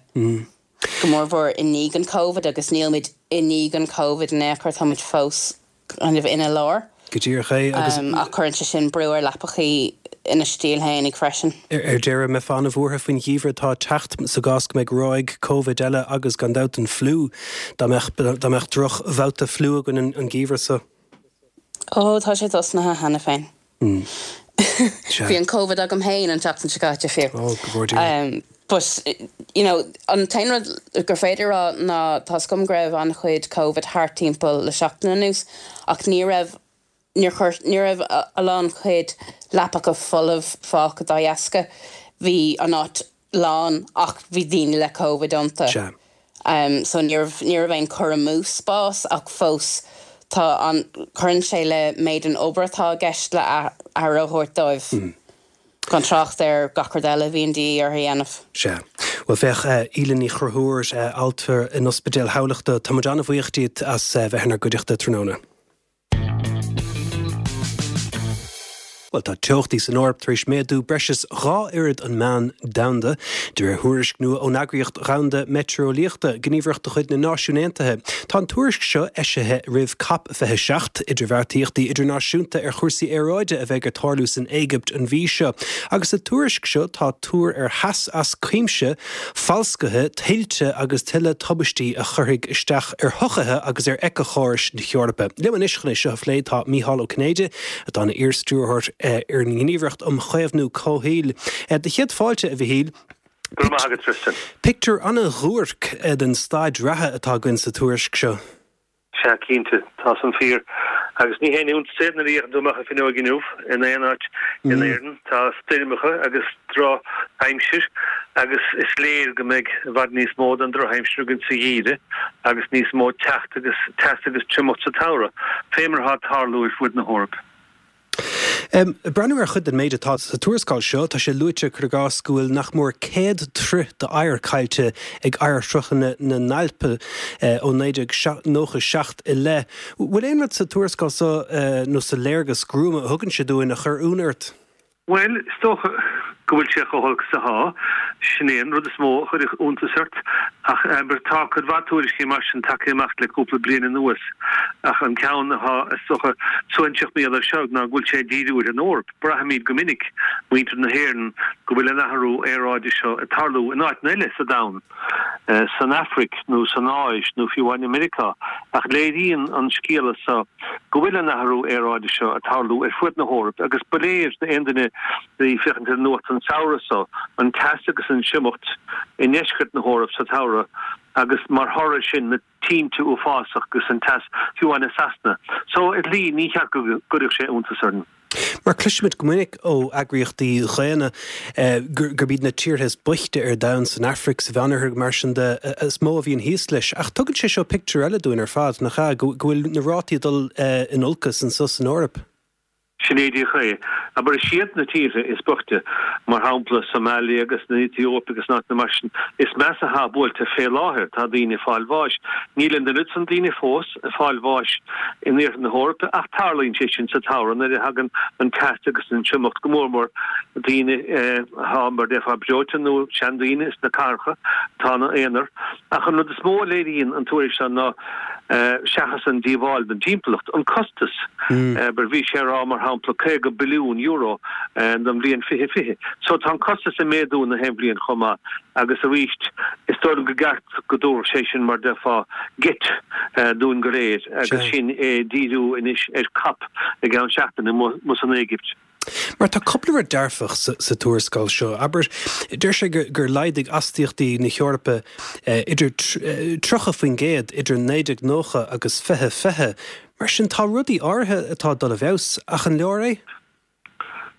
go mórmhór i ndiaidh an Covid agus nílimid i ndiaidh an Covid in aon chor, táimid fós kind of ina lár. Go díreach é agus. Ach cuireann sé sin brú ar leapachaí ina stíl fhéinig freisin. Ar deireadh, mbeifeá an-bhuartha faoin gheimhreadh atá ag teacht sa gcás go mbeidh ráig Covid eile agus gan dabht an fliú, dá mbeadh dá mbeadh droch-bhabhta fliú againn an geimhreadh seo. Ó, tá sé tosnaithe cheana féin. Bhí an Covid agam féin an tseachtain seo caite fiú. Ó, go bhfóire Dia. But, you know, an t-aon rud gur féidir a rá ná tá's agam go raibh an-chuid Covid thart timpeall le seachtain anuas ach ní raibh, níor chuir, ní raibh a lán chuid leapacha folamh fágtha dá dheasca. Bhí an áit lán ach bhí daoine le Covid iontu. Sea. So ní raibh, ní raibh aon cur amú spás ach fós tá an, cuireann sé le méid an obair atá i gceist le aire a thabhairt dóibh. Gan trácht ar gach rud eile a bhíonn de dhíth orthu a dhéanamh. Sea. Bhuel, féach, Aoileann Ní Chonchúir, altra in Ospidéal Thamhlachta, tá muid an-bhuíoch díot as bheith inár gcuideachta tráthnóna. Bhuel, tá teochtaí san Eoraip tar éis méadú breis is dhá oiread an meán domhanda, de réir thuairisc nua ón Eagraíocht Dhomhanda Meitéareolaíochta, gníomhaireacht de chuid na Náisiún Aontaithe. Tá an tuairisc seo eisithe roimh Cop fiche seacht, idirbheartaíochtaí idirnáisiúnta ar chúrsaí aeráide a bheidh ag tarlú san Éigipt an mhí seo. Agus sa tuairisc seo tá tuar ar theas as cuimse, falscaithe, tuilte agus tuilleadh tubaistí a chuirfidh isteach ar shochaithe agus ar éiceachórais na hEorpa. Liom anois chun é seo a phlé tá Mícheál Ó Cinnéide, atá ina iar-stiúrthóir ar an nGníomhaireacht um Chaomhnú Comhshaoil. Do chéad fáilte, a Mhichíl. Go raibh maith agat, Tristan. Pictiúr an-dhuairc den staid reatha atá againn sa tuairisc seo. Sea, cinnte, tá san fíor. Agus ní haon iontas é nuair a fhéachann tú amach an fuinneoig inniu, in aon áit in Éirinn, tá stoirmeacha agus drochaimsir agus is léir go mbeidh i bhfad níos mó den drochaimsir againn sa gheimhreadh agus níos mó teacht agus teas agus triomacht sa tsamhradh, fé mar atá ag tarlú ar fud na hEorpa. Ag breathnú ar chuid den méid atá sa tuarascáil seo, tá sé luaite, cuir i gcás, go bhfuil nach mór céad troith d'oighear caillte ag oighearshruthanna na nAlp ó naoi déag nócha seacht i leith. Bhfuil aon rud sa tuarascáil seo nó sa léargas gruama a thugann sé dúinn a chuir ionadh ort? Bhuel, is dócha go bhfuil sé chomh holc is atá. Sin é an rud is mó a chuirfeadh iontas ort, ach abair tá cuid mhaith tuairiscí mar sin tagtha amach le cúpla bliain anuas, ach an ceann atá is dócha suaithinseach mar gheall air seo ná go bhfuil sé ag díriú ar an Eoraip. Braithimid go minic, muintir na hÉireann, go bhfuil an athrú aeráide seo ag tarlú in áiteanna eile sa domhan, san Afraic nó san Áis nó fiú amháin i Meiriceá, ach léiríonn an scéala seo go bhfuil an athrú aeráide seo ag tarlú ar fuaid na hEoraip agus ba léir d'aon duine a bhí ag féachaint ar an nuacht an samhradh seo an teas agus an triomacht i ndeisceart na hEoraip sa tsamhradh agus mar thoradh air sin na tinte uafásach agus an teas fiú amháin i Sasana. So ar shlí ní cheart go gcuirfeadh sé iontas orainn. Mar cloisimid go minic ó eagraíochtaí dhaonna gurb iad na tíortha is boichte ar domhan, san Afraic, sa Mheánoirthear, mar sin de, is mó a bhíonn thíos leis. Ach tugann sé seo pictiúr eile dúinn ar fad, nach ea, go bhfuil na rátaí ag dul in olcas anseo san Eoraip. Sin é díreach é. Abair, is iad na tíortha is boichte, mar shampla Somalia agus an Aetóip agus na áiteanna mar sin, is measa atá buailte fé láthair. Tá daoine ag fáil bháis. Níl an oiread san daoine fós ag fáil bháis in iarthar na hEorpa ach tarlaíonn sé sin sa tsamhradh nuair a thagann an teas agus an triomacht, go mór mór daoine atá, mar déarfá, breoite nó seandaoine sna cathracha atá ina aonar. Ach an rud is mó a léiríonn an tuairisc seo ná, seachas an díobháil don timpeallacht, an costas. Abair, bhí sé a rá, mar shampla, caoga billiún euro don bhliain fiche fiche. So tá an costas ag méadú na haon bhliain chomh maith agus arís, is dóigh liom go gceart go dtabharfadh sé sin, mar déarfá, geit dúinn go léir agus sinn ag díriú anois ar COP i gceann seachtaine amuigh san Éigipt. Mar tá cúpla rud dearfach sa tuarascáil seo. Abair, deir sé gur laghdaigh astaíochtaí na hEorpa idir tríocha faoin gcéad idir naoi déag nócha agus fiche fiche. Mar sin, tá rudaí áirithe atá ag dul i bhfeabhas, ach an leor é?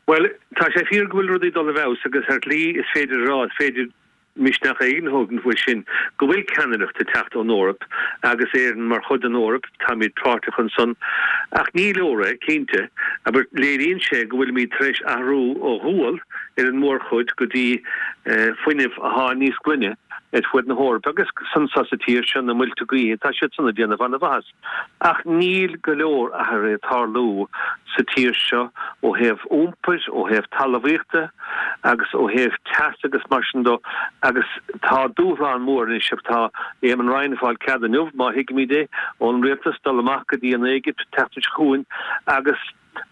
Bhuel, tá sé fíor go bhfuil rudaí ag dul i bhfeabhas agus ar shlí is féidir a rá, is féidir misneach éigin a thógaint faoi sin, go bhfuil ceannaireacht ag teacht ón Eoraip agus Éirinn mar chuid den Eoraip, táimid páirteach ansan. Ach ní leor é, cinnte. Abair, léiríonn sé go bhfuilimid tar éis athrú ó ghual ar an mórchuid go dtí fuinneamh athá níos glaine ar fuaid na hEorpa agus anso sa tír seo, na muilte gaoithe, tá siad san ag déanamh ana-mhaitheas. Ach níl go leor athruithe ag tarlú sa tír seo ó thaobh iompair, ó thaobh talmhaíochta agus ó thaobh teas agus mar sin dó agus tá dúshlán mór anois ach tá Eamon Ryan ag fáil cead inniu, má thuigimid é, ón rialtas dul amach go dtí an Éigipt an tseachtain seo chugainn agus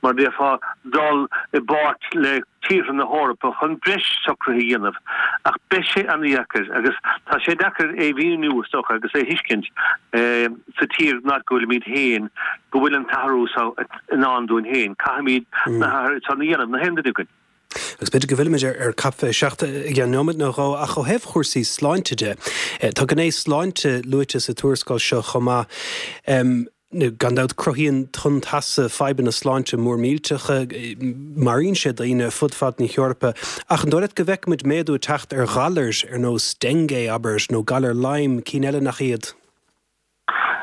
mar déarfá, dul i bpáirt le tíortha na hEorpa chun breis socruithe a dhéanamh. Ach beidh sé an-dheacair agus tá sé deacair é a mhíniú, is dócha, agus é a thuiscint sa tír nach go bhfuilimid féin, go bhfuil an t-athrú seo i ndán dúinn féin. Caithfimid na hathruithe san a dhéanamh, na haon duine againn. Agus b'fhéidir go bhfillfimid ar COP fiche seacht i gceann nóiméad nó dhó, ach ó thaobh chúrsaí sláinte de, tá gné sláinte luaite sa tuarascáil seo chomh maith. Gan dabht, cruthaíonn tonn teasa fadhbanna sláinte mór millteacha, maraíonn sé daoine fud fad na hEorpa. Ach an dóigh leat go bhfeicfimid méadú ag teacht ar ghalair ar nós dengue, abair, nó galar Lyme, cinn eile nach iad?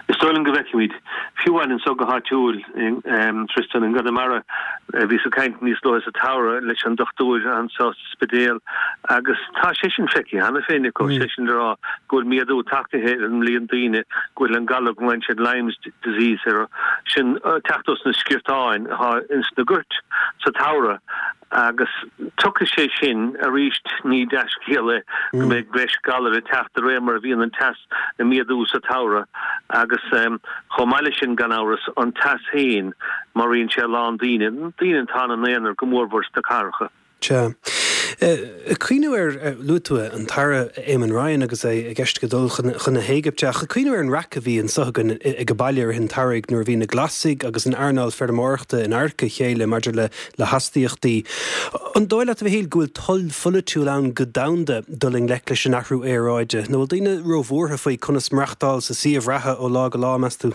Is dóigh liom go bhfeicfimid. Fiú amháin anso go háitiúil, Tristan, i gConamara, bhíos ag caint níos luaithe sa tsamhradh leis an dochtúir anso sa Spidéal agus tá sé sin feicthe cheana féin acu, sé sin le rá go bhfuil méadú tagtha ar an líon daoine go bhfuil an galar go nglaonn siad Lyme's disease air, sin teacht os na sciortáin atá ins na goirt sa tsamhradh agus tiocfaidh sé sin arís, ní dea-scéal é go mbeidh breis galair ag teacht de réir mar a bhíonn an teas ag méadú sa tsamhradh agus chomh maith leis sin gan amhras an teas féin maraíonn sé a lán daoine, daoine atá ina n-aonar go mórmhór sna cathracha. Sea. Ag cuimhniú ar, luaigh tú an tAire Eamon Ryan agus é i gceist aige dul chun na hÉigipte, ach ag cuimhniú ar an raic a bhí anseo againn ag an baile i rith an tsamhraidh nuair a bhí na Glasaigh agus an earnáil feirmeoireachta in adharca a chéile maidir le le hastaíochtaí. An dóigh leat, a Mhichíl, go bhfuil toil pholaitiúil ann go domhanda dul i ngleic leis an athrú aeráide, nó bhfuil daoine róbhuartha faoi conas maireachtáil sa suíomh reatha ó lá go lá, meas tú?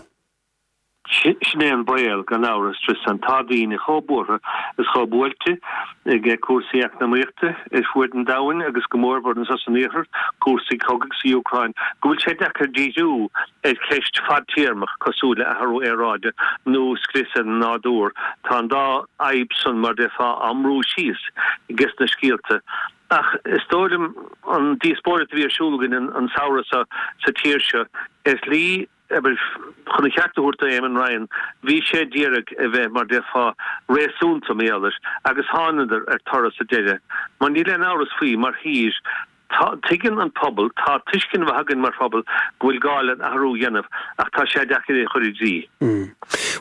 Sin é an baol, gan amhras, Tristan. Tá daoine chomh buartha is chomh buailte ag cúrsaí eacnamaíochta ar fuaid an domhain agus go mórmhór anso san iarthar, cúrsaí cogaidh sa Úcráin, go bhfuil sé deacair díriú ar cheist fadtéarmach cosúil le athrú aeráide nó scrios ar an nádúr. Tá an dá fhadhb san, mar déarfá, á mbrú síos ages na scéalta. Ach is dóigh liom an díospóireacht a bhí ar siúl againn an samhradh seo sa tír seo, ar shlí, Abair, chun a cheart a thabhairt do Éamon Ryan, bhí sé d'iarraidh a bheith, mar déarfá, réasúnta, mar gheall air, agus thánadar ar toradh sa deireadh. Mar níl aon amhras faoi, mar thír, Tá, tuigeann an pobal, tá tuiscint mhaith againn mar phobal go bhfuil gá le athrú a dhéanamh ach tá sé deacair é a chur i gcrích.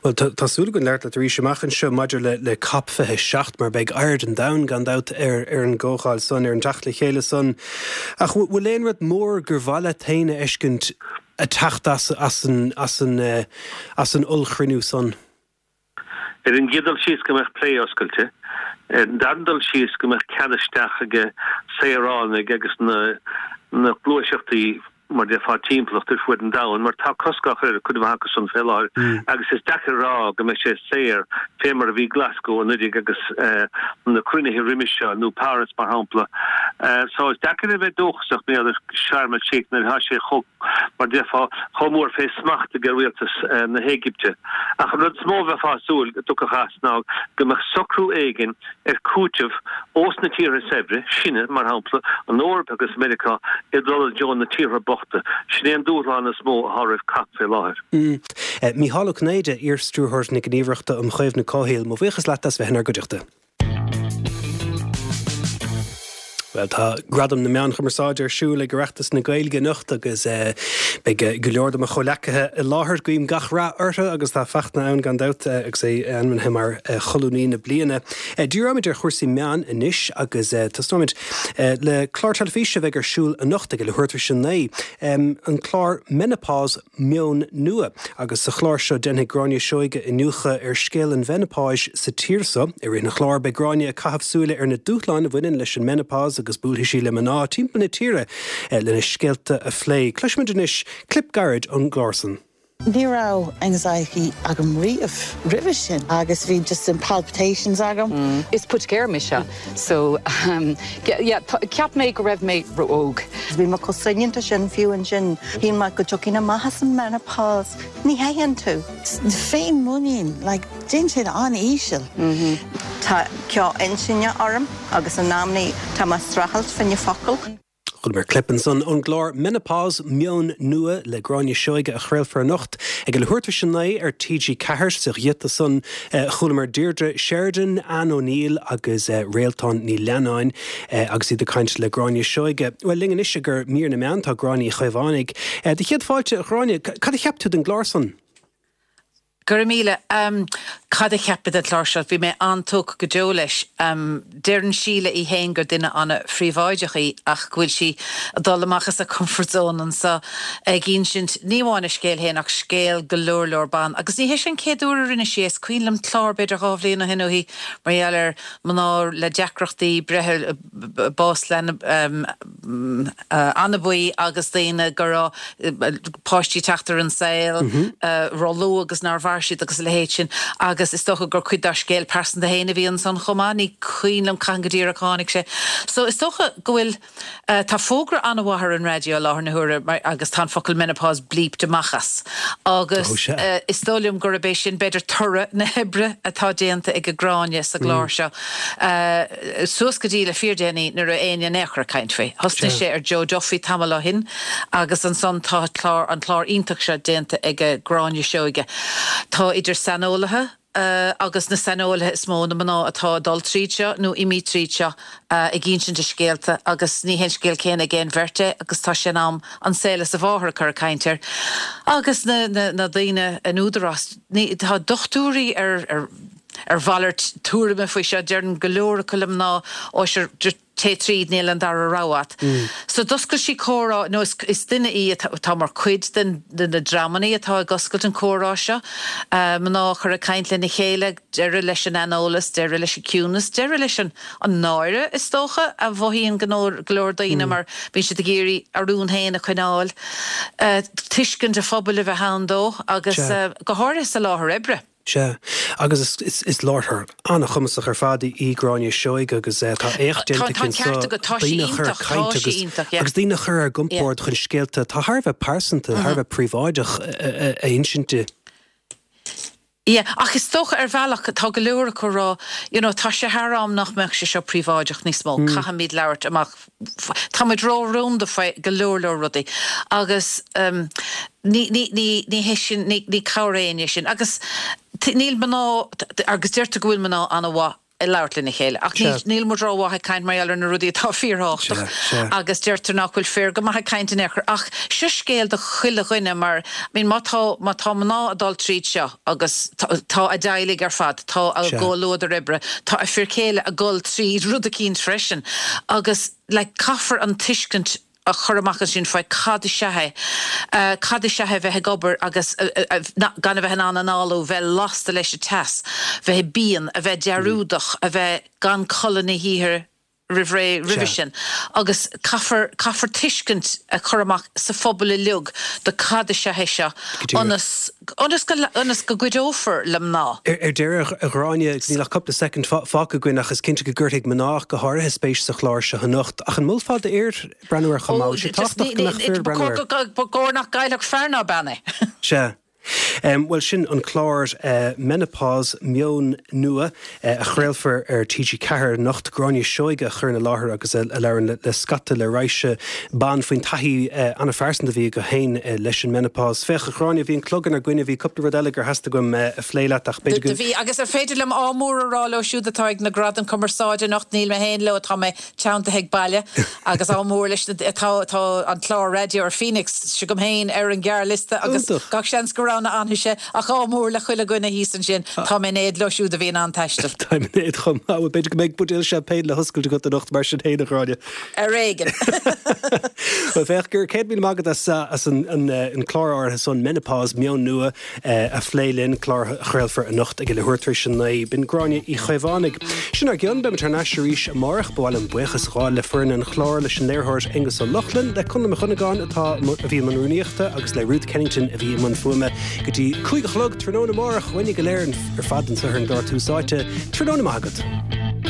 Bhuel, tá súil againn labhairt leat arís amach anseo maidir le le Cop fiche seacht mar beidh aird an domhain gan dabht ar ar an gcomhdháil san, ar an teacht le chéile san. Ach bhfuil aon rud mór gur mhaith leat féin a fheiscint ag teacht as as an as an as an ollchruinniú san? Ar an gcéad dul síos go mbeadh plé oscailte. Ar an dara dul síos go mbeadh cead isteach ag saoránaigh agus na na gluaiseachtaí mar déarfá timpeallacht ar fuaid an domhain mar tá cosc á chur ar cuid mhaith acu san fé láthair agus is deacair a rá go mbeidh sé saor fé mar a bhí Glasgow anuraidh agus na cruinnithe roimis seo nó Páras mar shampla. So is deacair a bheith dóchasach maidir le Sharm el Sheikh nuair atá sé chomh mar déarfá chomh mór fé smacht ag rialtas na hÉigipte. Ach an rud is mó a bheifeá ag súil go dtiocfadh as ná go mbeadh socrú éigin ar chúiteamh ós na tíortha saibhre, sinne, mar shampla, an Eoraip agus Meiriceá, ag dul i dtreo na tíortha bochta. Sin é an dúshlán is mó atá roimh COP fé láthair. Mícheál Ó Cinnéide, iar-Stiúrthóir na Gníomhaireachta um Chaomhnú Comhshaoil, mo bhuíochas leat as bheith inár gcuideachta. Bhuel, tá Gradaim na Meán Chumarsáide ar siúl ag Oireachtas na Gaeilge anocht agus beidh go leor de mo chomhleacaithe i láthair. Guím gach rath orthu agus tá Fachtna ann gan dabht agus é ainmnithe mar Cholúnaí na Bliana. Díreoimid ar chúrsaí meán anois agus tosnóimid le clár teilifíse a bheidh ar siúl anocht ag a leathuair tar éis a naoi, an clár Menopause, Meon Nua. Agus sa chlár seo déanfaidh Gráinne Seoige iniúchadh ar scéal an mheineapáis sa tír seo. I rith an chláir beidh Gráinne ag caitheamh súile ar na dúshláin a bhaineann leis an menopause agus buailfidh sí le mná timpeall na tíre lena scéalta a phlé. Cloisfimid anois clip gairid ón gclár san. Ní raibh anxiety agam riamh roimhe sin agus bhí just an palpitations agam. Is poitigéir mise so yeah cheap mé go raibh mé ró-óg. Bhí mé chomh soineanta sin fiú ansin, shíl mé go dtiocfainn amach as an menopause. Ní théann tú. Féinmhuinín, like déanann siad an-íseal. Tá ceo intinne orm agus in amannaí tá mé ag streachailt fá choinne focal. Chualamar clip ansan ón gclár Menopause, Meon Nua le Gráinne Seoige a chraolfar anocht ag a leathuair tar éis a naoi ar T G ceathair. Sa ghiota san chualamar Deirdre Sheridan, Anne O'Neill agus Réaltán Ní Leannáin agus iad ag caint le Gráinne Seoige. Bhuel, linn anois i gcomhair mír na meán tá Gráinne Uí Chaomhánaigh. Do chéad fáilte, a Ghráinne, cad a cheap tú den gclár san? Go raibh míle. Cad a cheap mé den chlár seo? Bhí mé an-tógtha go deo leis. Deireann Síle í fhéin gur duine an-phríobháideach í ach go bhfuil sí ag dul amach as a comfort zone anseo ag insint ní amháin a scéal fhéin ach scéal go leor leor ban. Agus ní hé seo an chéad uair a rinne sí é. Is cuimhin liom clár b'fhéidir dhá bhliain ó shin uaithi mar gheall ar mná le deacrachtaí breithe, bás leanbh anabaí agus daoine go raibh páistí ag teacht ar an saol róluath agus nár mhair siad agus a leithéid sin agus is dócha gur cuid dá scéal pearsanta féin a bhí ansan chomh maith, ní cuimhin liom cathain go díreach a tháinig sé. So is dócha go bhfuil, tá fógra an-mhaith ar an raidió i láthair na huaire mar agus tá an focal menopause bleeped amach as agus is dóigh liom gurb é sin b'fhéidir toradh na hoibre atá déanta ag Gráinne sa gclár seo. Suas go dtí le fíordhéanaí ní raibh éinne in aon chor ag caint faoi. Thosnaigh sé ar Joe Duffy tamall ó shin agus ansan tá clár, an clár iontach seo déanta ag Gráinne Seoige. Tá idir saineolaithe agus na saineolaithe is mó, na mná atá ag dul tríd seo nó imithe tríd seo ag insint a scéalta agus ní hé an scéal céanna ag aon bheirt é agus tá sé in am an saol is a mháthair a chur ag caint air. Agus na na daoine in údarás, ní, tá dochtúirí ar ar ar mhalairt tuairime faoi seo, deireann go leor acu le mná, ó sure, téigh tríd, níl an dara rogha agat. So d'oscail sí comhrá, nó is is duine í atá mar chuid den de na dreamannaí atá ag oscailt an comhrá seo, mná a chur ag caint lena chéile, deireadh leis an aineolas, deireadh leis an ciúnas, deireadh leis an an náire is dócha a mhothaíonn go leor daoine mar bíonn siad ag iarraidh a rún féin a choinneáil, tuiscint an phobail a bheith ann dó agus go háirithe sa láthair oibre. Sea, agus is láithreoir an-chumasach ar fad í Gráinne Seoige agus tá éacht déanta aici anseo daoine a chur ag caint agus agus daoine a chur ar a gcompord chun scéalta atá thar a bheith pearsanta, thar a bheith príobháideach a insint di. Yeah, ach is dócha ar bhealach tá go leor acu ag rá, you know, tá sé thar am nach mbeadh sé seo príobháideach níos mó, caithfimid labhairt amach Tá muid ró-rúnda faoi go leor leor rudaí agus ní, ní, ní, ní hé sin, ní, ní cabhair éinne sin. Agus níl mná, agus deirtear go bhfuil mná an-mhaith ag labhairt lena chéile. Ach níl muid rómhaith ag caint mar gheall ar na rudaí atá fíorthábhachtach agus deirtear nach bhfuil fir go maith ag caint in aon chor. Ach seo scéal do chuile dhuine mar, I mean, má tá, má tá mná ag dul tríd seo agus tá a dteaghlaigh ar fad, tá a gcomhluadar oibre, tá a fir céile ag dul tríd rud eicínt freisin agus like caithfear an tuiscint a chur amach ansin faoi cad is ea é, cad is ea é bheith ag obair agus gan a bheith in ann análú, bheith lasta leis an teas, bheith pian, a bheith dearúdach, a bheith gan codladh na hoíche roimh ré roimhe sin. Agus caithfear, caithfear tuiscint a chur amach sa phobal uilig do cad is ea é seo ionas, ionas go, ionas go gcuideofar le mná. Ar deireadh, a Ghráinne, níl ach cúpla soicind fágtha againn ach is cinnte go gcuirfidh mná go háirithe spéis sa chlár seo anocht. Ach an molfá d'fhir breathnú air chomh maith? Bhfuil sé tábhachtach go mbeadh fir ag breathnú air? Ba chóir nach gcaillfeadh fear ná bean é. Sea. Bhuel, sin an clár Menopause, Meon Nua, a chraolfar ar T G ceathair anocht. Gráinne Seoige a chuireann i láthair agus a labhrann le scata, le raidhse ban faoin taithí an-phearsanta a bhí acu féin leis an menopause. Féach, a Ghráinne, bhí an clog inár gcoinne, bhí cúpla rud eile gur theastaigh uaim a phlé leat ach b'fhéidir go. Do bhí, agus ar féidir liom ádh mór a rá leo siúd atá ag na Gradaim Cumarsáide anocht, níl mé féin leo, tá mé teanntaithe ag baile, agus ádh mór leis na, tá, tá an clár raidió ar Phoenix s'agam féin ar an ghearrliosta agus Iontach. gach seans go roghnófar mise, ach ádh mór le chuile dhuine thíos ansin, tá mé in éad leo siúd a bhí in ann taisteal. Táim in éad chomh maith. Bhuel, b'fhéidir go mbeidh buidéal champagne le hoscailt agat anocht mar sin féin, a Ghráinne. Ar éigean. Bhuel, féach, go raibh céad míle maith agat as as an an an clár áirithe san, Menopause, Meon Nua, a phlé linn, clár a chraolfar anocht ag a leathuair tar éis a naoi. B'in Gráinne Uí Chaomhánaigh. Sin ár gcionn, beimid thar n-ais arís amárach. Ba mhaith liom buíochas a ghabháil le foireann an chláir, leis an léiritheoir Aengus Ó Lochlainn, le Conall Mac Dhonnagáin atá a bhí i mbun rúnaíochta agus le Ruth Kennington a bhí i mbun fuaime. Go dtí cúig a chlog tráthnóna amárach, uainne go léir ar fad anseo ar an gclár Tús Áite, tráthnóna maith agat.